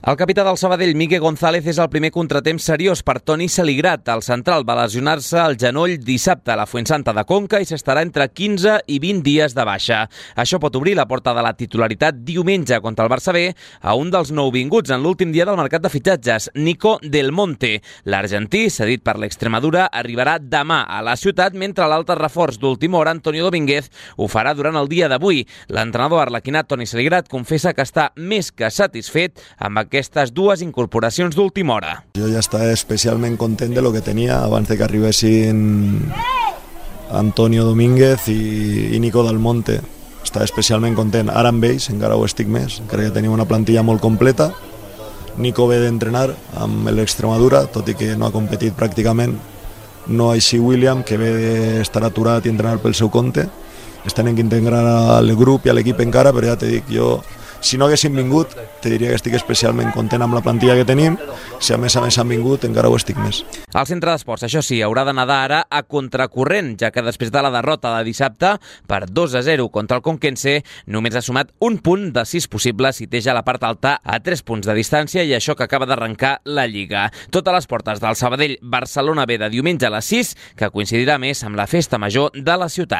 El capità del Sabadell, Miguel González, és el primer contratemps seriós per Toni Saligrat. El central va lesionar-se al genoll dissabte a la Fuensanta de Conca i s'estarà entre 15 i 20 dies de baixa. Això pot obrir la porta de la titularitat diumenge contra el Barça B a un dels nouvinguts en l'últim dia del mercat de fitxatges, Nico Del Monte. L'argentí, cedit per l'Extremadura, arribarà demà a la ciutat, mentre l'altre reforç d'última hora, Antonio Domínguez, ho farà durant el dia d'avui. L'entrenador arlequinat Toni Saligrat confessa que està més que satisfet amb aquestes dues incorporacions d'última hora. Jo ja estava especialment content de lo que tenia abans de que arribessin Antonio Domínguez i Nico Del Monte. Estava especialment content. Ara amb ells encara ho estic més. Crec que tenim una plantilla molt completa. Nico ve d'entrenar amb l'Extremadura, tot i que no ha competit pràcticament. No així William, que ve d'estar aturat i entrenar pel seu compte. Es tenen que integrar al grup i a l'equip encara, però ja t'he dit, jo si no haguessin vingut, te diria que estic especialment content amb la plantilla que tenim. Si a més han vingut, encara ho estic més. El centre d'esports, això sí, haurà de nedar ara a contracorrent, ja que després de la derrota de dissabte per 2-0 contra el Conquense, només ha sumat un punt de 6 possibles i té ja la part alta a 3 punts de distància, i això que acaba d'arrencar la Lliga. Totes les portes del Sabadell Barcelona B de diumenge a les 6, que coincidirà més amb la festa major de la ciutat.